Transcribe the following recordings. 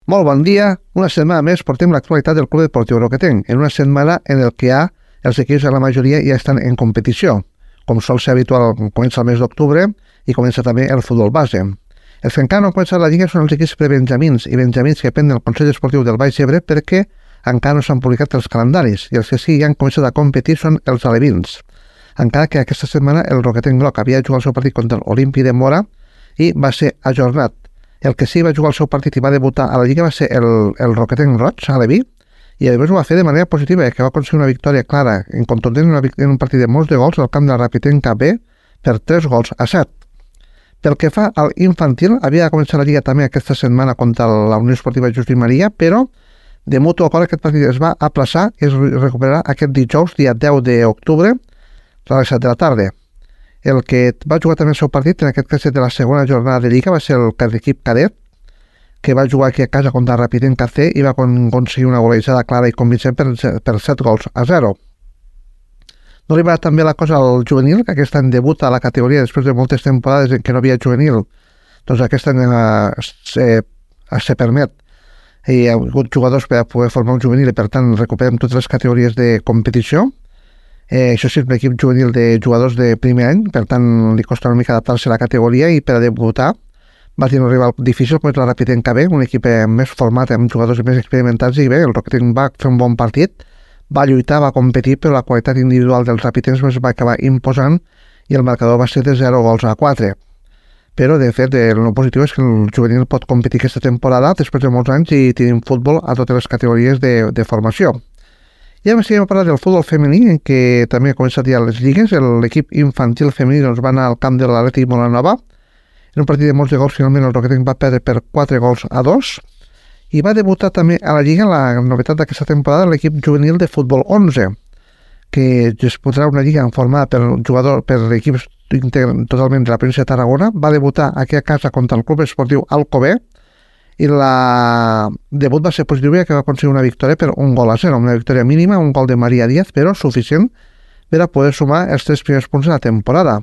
Molt bon dia. Una setmana més portem l'actualitat del Club Deportiu Roquetenc, en una setmana en el que els equips de la majoria ja estan en competició. Com sol ser habitual, comença el mes d'octubre i comença també el futbol base. Els que encara no han començat la Lliga són els equips prebenjamins i benjamins que depenen del Consell Esportiu del Baix Ebre perquè encara no s'han publicat els calendaris i els que sí ja han començat a competir són els alevins. Encara que aquesta setmana el Roquetenc Groc havia jugat el seu partit contra l'Olímpic de Mora i va ser ajornat. El que sí va jugar el seu partit i va debutar a la Lliga va ser el Roquetenc Roig, aleví, i a més ho va fer de manera positiva, que va aconseguir una victòria clara, contundent en un partit de molts de gols al camp de la Rapitenca B per 3-7. Pel que fa al infantil, havia de començar la Lliga també aquesta setmana contra la Unió Esportiva Justín Maria, però de mutu acord aquest partit es va aplaçar i es recuperarà aquest dijous, dia 10 d'octubre, a les 7 de la tarda. El que va jugar també el seu partit, en aquest cas de la segona jornada de Lliga, va ser l'equip cadet, que va jugar aquí a casa contra Rapitenca C i va aconseguir una golejada clara i convincent per 7-0. No li va també la cosa al juvenil, que aquest any debuta a la categoria després de moltes temporades en què no havia juvenil. Doncs aquest any se permet. Hi ha hagut jugadors per poder formar un juvenil i per tant recuperem totes les categories de competició. Això sí, és un equip juvenil de jugadors de primer any, per tant li costa una mica adaptar-se a la categoria i per a debutar va tenir un rival difícil com és la Rapitenca B, un equip més format amb jugadors més experimentats i bé, el Roquetenc va fer un bon partit, va lluitar, va competir, però la qualitat individual dels rapitencs es va acabar imposant i el marcador va ser de 0-4. Però, de fet, el positiu és que el juvenil pot competir aquesta temporada després de molts anys i tenim futbol a totes les categories de formació. I ara seguim a parlar del futbol femení, en què també ha començat ja les lligues. L'equip infantil femení va anar al camp de l'Atlètic Molanova. En un partit de molts de gols, finalment el Roquetenc va perdre per 4-2. I va debutar també a la Lliga, la novetat d'aquesta temporada, l'equip juvenil de futbol 11, que disputarà una lliga formada per equips totalment de la província de Tarragona. Va debutar aquí a casa contra el Club Esportiu Alcover, i el debut va ser positiu, que va aconseguir una victòria per 1-0, una victòria mínima, un gol de Maria Díaz, però suficient per a poder sumar els 3 primers punts de la temporada.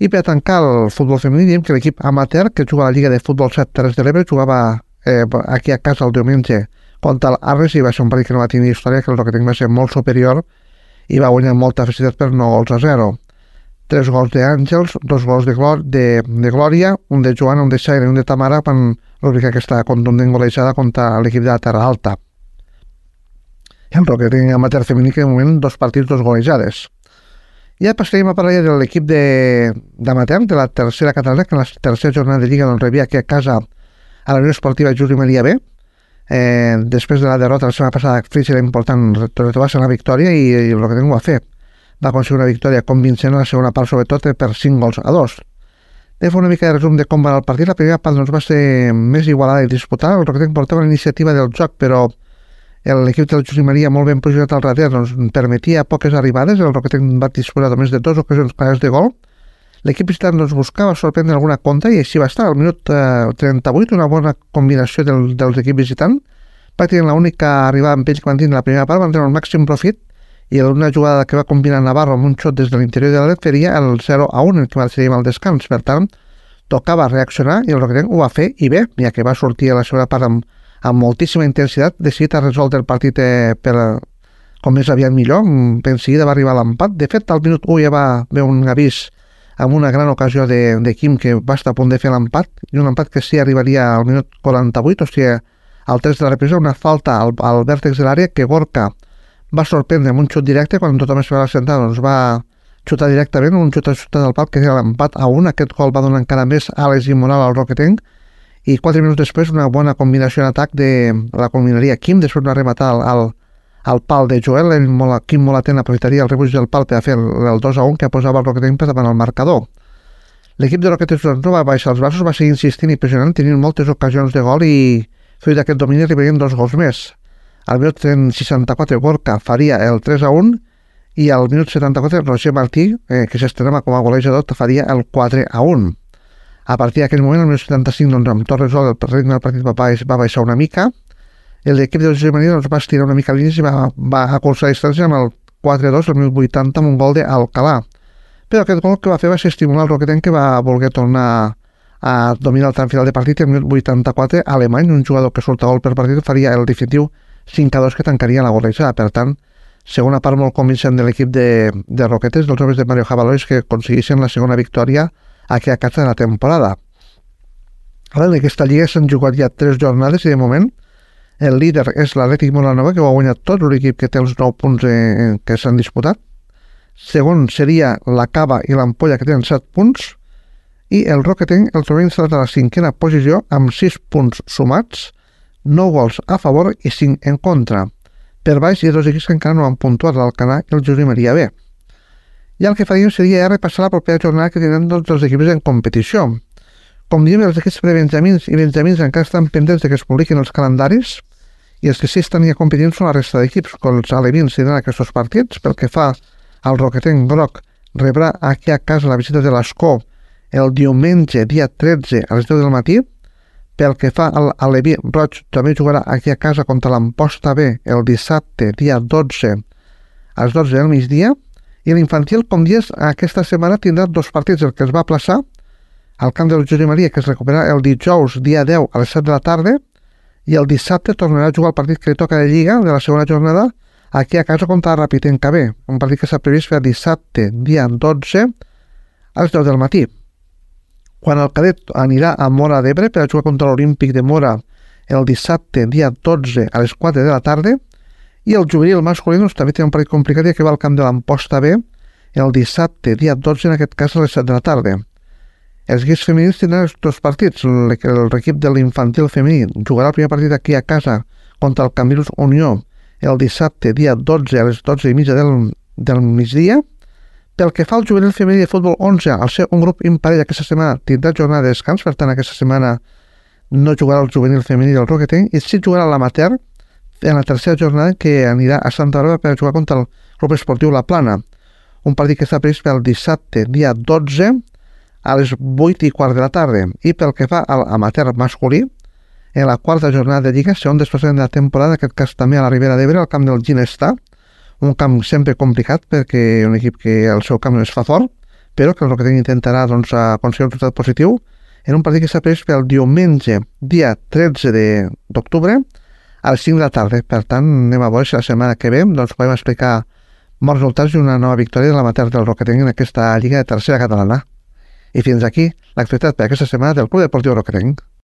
I per a tancar el futbol femení, diem que l'equip amateur, que juga a la Lliga de Futbol 7 Terres de l'Ebre, jugava aquí a casa el diumenge contra l'Arres i va ser un partit que no va tenir història, que el Roquetenc va ser molt superior i va guanyar molta facilitat per 9-0. 3 gols d'Àngels, 2 gols de Glòria, un de Joana, un de Xaire i un de Tamara van rubricar aquesta contundent golejada contra l'equip de la Terra Alta. I el Roquetenc amateur femení que de moment 2 partits, 2 golejades. Ja passarem a parlar de l'equip d'amateur de la tercera catalana, que en la tercera jornada de Lliga rebia aquí a casa a la Unió Esportiva Justín Maria B. Després de la derrota la setmana passada, Fris era important retrobar-se en la victòria i el Roquetenc ho va fer. Va aconseguir una victòria convincent a la segona part, sobretot per 5-2. De fer una mica de resum de com va el partit. La primera part va ser més igualada i disputada. El Roquetenc portava la iniciativa del joc, però l'equip del Justín Maria, molt ben posicionat al darrere, permetia poques arribades. El Roquetenc va disposar només de 2 ocasions clares de gol. L'equip visitant buscava sorprendre alguna contra i així va estar. Al minut 38, una bona combinació dels equips visitants. Pràcticament l'única arribada amb ells que van tenir la primera part, van tenir el màxim profit i una jugada que va combinar Navarro amb un xot des de l'interior de l'Alet faria el 0-1, el que marxaríem al descans. Per tant, tocava reaccionar i el Roquetenc ho va fer i bé, ja que va sortir a la segona part amb moltíssima intensitat, decidit a resoldre el partit com més aviat millor. En seguida va arribar l'empat. De fet, al minut 1 ja va haver un avís amb una gran ocasió de Quim que va estar a punt de fer l'empat, i un empat que sí arribaria al minut 48, o sigui, al 3 de la represa, una falta al vèrtex de l'àrea que Gorka va sorprendre amb un xut directe. Quan tothom es va sentar, va xutar directament, un xut del pal que era l'empat a 1. Aquest gol va donar encara més àlees i moral al Roquetenc, i 4 minuts després una bona combinació en atac de la combinaria Quim, després una rematada al pal de Joel. Quim Molaten aprofitaria el rebuig del pal per a fer el 2-1 que posava el Roquetenc per davant el marcador. L'equip de Roquetenc no va baixar els braços, va seguir insistint i pressionant, tenint moltes ocasions de gol i fruit d'aquest domini arribarien 2 gols més. Al minut 64 Gorka faria el 3-1 i al minut 74 Roger Martí, que s'estrenava com a golejador, faria el 4-1. A partir d'aquell moment, al minut 75, amb tot resolt, el ritme del partit va baixar una mica. L'equip de Justín Maria va estirar una mica línies i va acolzar la distància amb el 4-2 al minut 80 amb un gol d'Alcalà. Però aquest gol que va fer va ser estimular el Roquetenc, que va voler tornar domina el tram final de partit i en 84 Alemany, un jugador que surt a gol per partit, faria el definitiu 5-2 que tancaria la golejada. Per tant, segona part molt convincent de l'equip de Roquetes, dels homes de Mario Jabalois, que aconseguissin la segona victòria aquí a casa de la temporada. Ara, en aquesta lliga s'han jugat ja 3 jornades i de moment el líder és l'Atlètic Molanova, que ho ha guanyat tot, l'equip que té els 9 punts que s'han disputat. Segon seria la Cava i l'Ampolla, que tenen 7 punts, i el Roquetenc el trobem instal·lat a la 5a posició amb 6 punts sumats, 9 gols a favor i 5 en contra. Per baix hi ha 2 equips que encara no han puntuat, l'Alcanar i el Josep Maria B. I el que faríem seria repassar la propera jornada que tenen tots els equips en competició. Com diem, els equips prebenjamins i benjamins encara estan pendents de que es publiquin els calendaris, i els que sí estan ja competint són la resta d'equips, com els alevins tindran aquests partits. Pel que fa al Roquetenc groc, rebrà aquí a casa la visita de l'Escó el diumenge, dia 13, a les 10 del matí. Pel que fa al Aleví roig, també jugarà aquí a casa contra l'Amposta B el dissabte, dia 12, a les 12 del migdia. I l'infantil, com dius, aquesta setmana tindrà 2 partits, el que es va aplaçar al camp del Josep Maria, que es recuperarà el dijous, dia 10, a les 7 de la tarda, i el dissabte tornarà a jugar el partit que li toca de Lliga, de la segona jornada, aquí a casa contra la Rapitenca B, un partit que s'ha previst per dissabte, dia 12, a les 10 del matí. Quan el cadet anirà a Móra d'Ebre per a jugar contra l'Olímpic de Móra el dissabte, dia 12, a les 4 de la tarda, i el juvenil masculí també té un partit complicat, ja que va al camp de l'Amposta B el dissabte, dia 12, en aquest cas a les 7 de la tarda. Els equips femenins tindran els 2 partits. L'equip de l'infantil femení jugarà el primer partit aquí a casa contra el Cambrils Unió el dissabte, dia 12, a les 12:30 del migdia. Pel que fa al juvenil femení de futbol 11, al ser un grup imparell aquesta setmana tindrà jornada de descans, per tant aquesta setmana no jugarà el juvenil femení del Roquetenc, i sí jugarà l'amateur en la tercera jornada, que anirà a Santa Bàrbara per jugar contra el Club Esportiu La Plana, un partit que està previst pel dissabte, dia 12, a les 8:15 de la tarda. I pel que fa a l'amateur masculí, en la quarta jornada de Lliga serà un desplaçament de la temporada, en aquest cas també a la Ribera d'Ebre, al camp del Ginestà, un camp sempre complicat perquè un equip que el seu camp no es fa fort, però que el Roquetenc intentarà aconseguir un resultat positiu en un partit que s'ha previst pel diumenge, dia 13 d'octubre, a les 5 de la tarda. Per tant, anem a veure si la setmana que ve podem explicar molts resultats i una nova victòria de l'amateur del Roquetenc en aquesta Lliga de tercera catalana. I fins aquí l'actualitat per aquesta setmana del Club Deportiu Roquetenc.